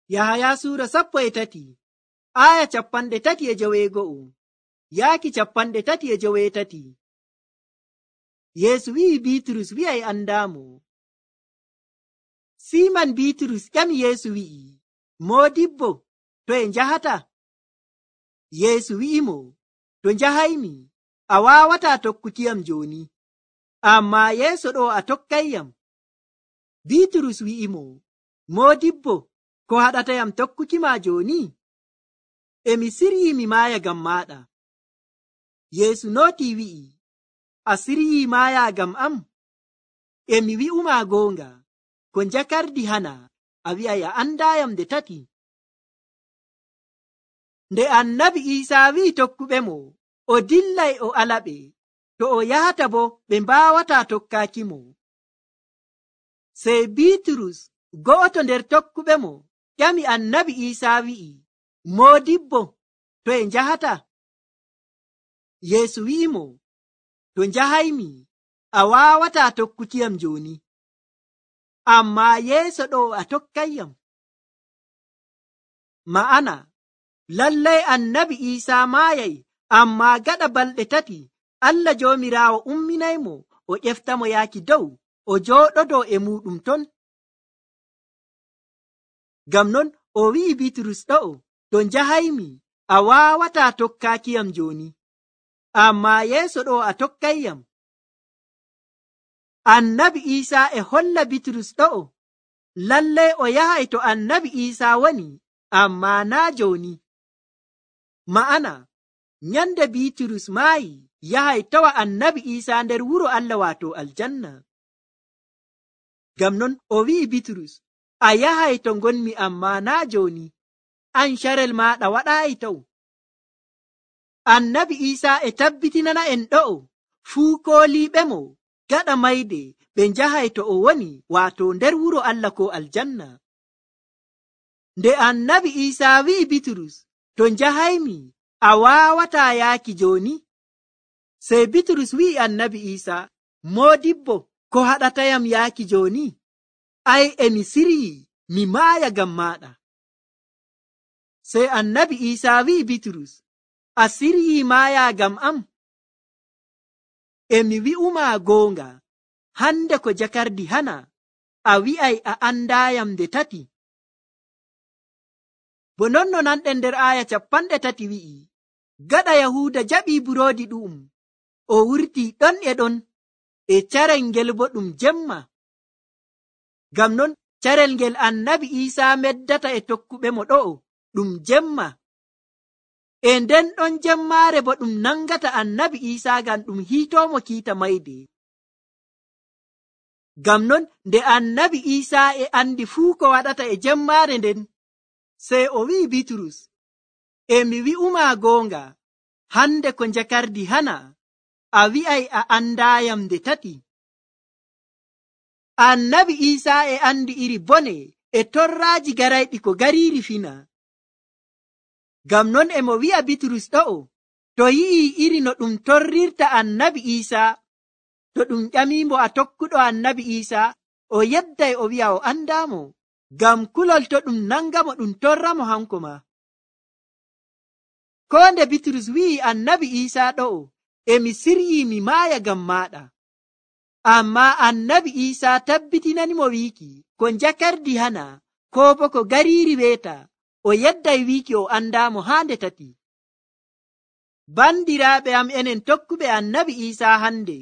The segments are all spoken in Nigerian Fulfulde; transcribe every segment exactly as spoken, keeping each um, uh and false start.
Yahaya suura sappo e tati aya capanɗe tati e joweego'o yaaki capanɗe tati e joweetati. Yeesu wi'i Biiturus wi'ay andaamo. Siiman Biiturus ƴami Yeesu wi'i, Moodibbo, to e njahata? Yeesu wi'imo, to njahaymi, a waawataa tokkukiyam jooni, ammaa yeeso ɗo a tokkayyam. Biiturus wi'imo, Moodibbo, ko haɗatayam tokkukima jooni? E mi siryii mi maaya ngam maaɗa. Yeesu nootii wi'i, a siryii maaya ngam am? E mi wi'umaa goonga, ko njakardi hana, a wi'ay a andaayam nde tati. Nde annabi Iisaa wi'i tokkuɓemo o dillay o alaɓe, to o yahata bo ɓe mbaawataa tokkaakimo. Sey Biiturus go'oto nder tokkuɓemo ƴami annabi Iisaa wi'i, Moodibbo, to e njahata? Yeesu wi'imo, to njahaymi, a waawataa tokkukiyam jooni, ammaa yeeso ɗo a tokkayyam. Ma'ana, lallay annabi Iisaa maayay, ammaa gaɗa balɗe tati Allah Joomiraawo umminaymo o ƴeftamo yaaki dow o jooɗodoo e muuɗum ton. Ngam non o wi'i Biiturus ɗo'o, to njahaymi, a waawataa tokkaakiyam jooni, ammaa yeeso ɗo a tokkayyam. Annabi Iisaa e holla Biiturus ɗo'o, lallay o yahay to annabi Iisaa woni, ammaa naa jooni. Ma'ana, nyande Biiturus maayi yahay tawa annabi Iisaa nder wuro Allah waato aljanna. Ngam non o wi'i Biiturus, a yahay to ngonmi ammaa naa jooni, an carel maaɗa waɗaayi taw. Annabi Iisaa e tabbitinana en ɗo'o fuu kooliiɓemo gaɗa mayde ɓe njahay to o woni waato nder wuro Allah ko aljanna. Nde annabi Iisaa wi'i Biiturus, to njahaymi, a waawataa yaaki jooni? Sey Biiturus wi'i annabi Iisaa, Moodibbo, ko haɗatayam yaaki jooni? Ay, e mi siryii mi maaya ngam maaɗa. Sey annabi Iisaa wi'i Biiturus, a siryii maaya ngam am? E mi wi'umaa goonga, hande ko jakardi hana, a wi'ay a andaayam nde tati. Bo non no nanɗen nder aya capanɗe tati wi'i, gaɗa Yahuuda jaɓii buroodi ɗu'um, o wurtii ɗon e ɗon e carel ngel bo ɗum jemma. Ngam non carel ngel annabi Iisaa meddata e tokkuɓemo ɗo'o ɗum jemma. E nden ɗon jemmaare bo ɗum nangata annabi Iisaa ngam ɗum hiitoomo kiita mayde. Ngam non nde annabi Iisaa e andi fuu ko waɗata e jemmaare nden, sey o wi'i Biiturus, e mi wi'umaa goonga, hande ko njakardi hana, a wi'ay a andaayam nde tati. Annabi Iisaa e andi iri bone e torraaji garayɗi ko gariiri fina. Ngam non e mo wi'a Biiturus ɗo'o, to yi'i iri no ɗum torrirta annabi Iisaa, to ɗum ƴamiimo a tokkuɗo annabi Iisaa, o yedday o wi'a o andaamo, ngam kulol to ɗum nangamo ɗum torramo hanko ma. Ko nde Biiturus wi'i annabi Iisaa ɗo'o, e mi siryii mi maaya ngam maaɗa. Ammaa annabi Iisaa tabbitinanimo wiiki, ko njakardi hana, ko bo ko gariiri weeta, o yedday wiiki o andaamo haa nde tati. Bandiraaɓe am enen tokkuɓe annabi Iisaa hande,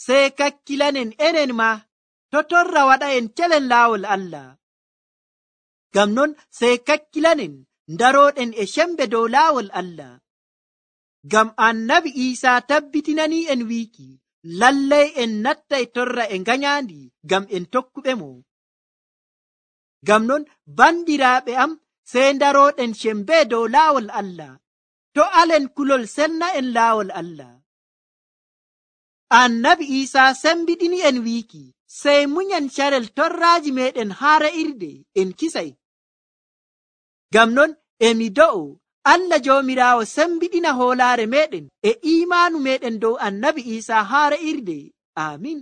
sey kakkilanen enen ma to torra waɗa en celen laawol Allah. Ngam non sey kakkilanen ndarooɗen e cembe dow laawol Allah. Ngam annabi Iisaa tabbitinanii en wiiki, lallay en nattay torra e ngañaandi ngam en tokkuɓemo. Ngam non bandiraaɓe am, sey ndarooɗen cembe dow laawol Allah, to alen kulol senna en laawol Allah. Annabi Iisaa sembiɗini en wiiki, sey munyen carel torraaji meɗen haa ra'irde en kisay. Ngam non emi do'o Allah Joomiraawo sembiɗina hoolaare meɗen e iimaanu meɗen dow annabi Iisaa haa ra'irde. Aamin.